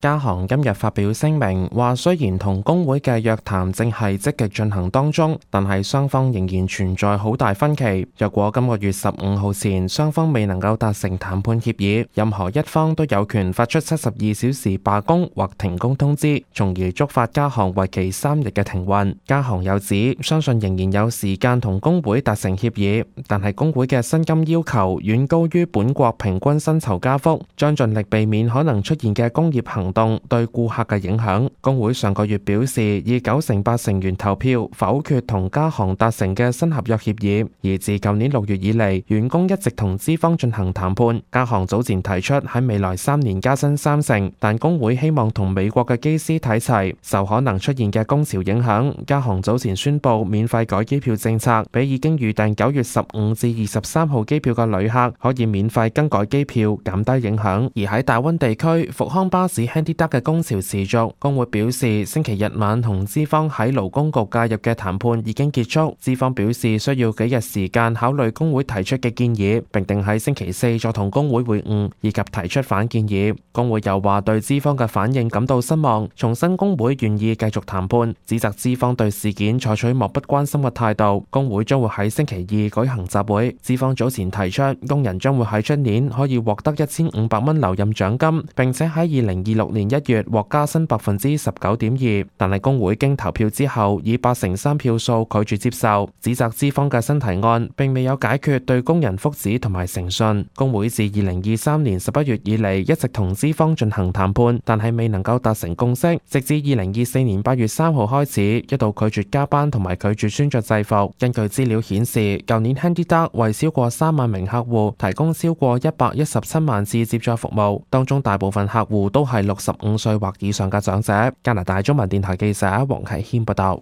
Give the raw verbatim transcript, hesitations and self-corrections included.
加航今日發表聲明，話雖然同工會嘅約談正係積極進行當中，但係雙方仍然存在好大分歧。若果今個月十五號前雙方未能夠達成談判協議，任何一方都有權發出七十二小時罷工或停工通知，從而觸發加航為期三日嘅停運。加航又指，相信仍然有時間同工會達成協議，但係工會嘅薪金要求遠高於本國平均薪酬加幅，將盡力避免可能出現嘅工業行動對顧客嘅影響。工會上個月表示，以九成八成員投票否決同加航達成嘅新合約協議。而自舊年六月以嚟，員工一直同資方進行談判。加航早前提出喺未來三年加薪三成，但工會希望同美國嘅機師睇齊。受可能出現嘅工潮影響，加航早前宣布免費改機票政策，俾已經預訂九月十五至二十三號機票嘅旅客可以免費更改機票，減低影響。而喺大溫地區，復康巴士 HandyDuck 嘅工潮持續，工會表示星期日晚同資方喺勞工局介入嘅談判已經結束，資方表示需要幾日時間考慮工會提出嘅建議，並定喺星期四再同工會會晤，以及提出反建議。工會又話對資方嘅反應感到失望，重申工會願意繼續談判，指責資方對事件採取漠不關心嘅態度。工會將會喺星期二舉行集會，資方早前提出工人將會喺出年可以獲得一千五百蚊留任獎金，並且喺二零二六年一月獲加薪百分之十九點二，但係工會經投票之後以八成三票數拒絕接受，指責資方嘅新提案並未有解決對工人福祉同埋誠信。工會自二零二三年十一月以嚟一直同資方進行談判，但係未能夠達成共識，直至二零二四年八月三號開始一度拒絕加班同埋拒絕穿着制服。根據資料顯示，舊年 HandyDuck 為超過三萬名客戶提供超過一百一十七萬次接載服務，當中大部分客戶都係六十五歲或以上嘅長者。加拿大中文電台記者黃啟謙報道。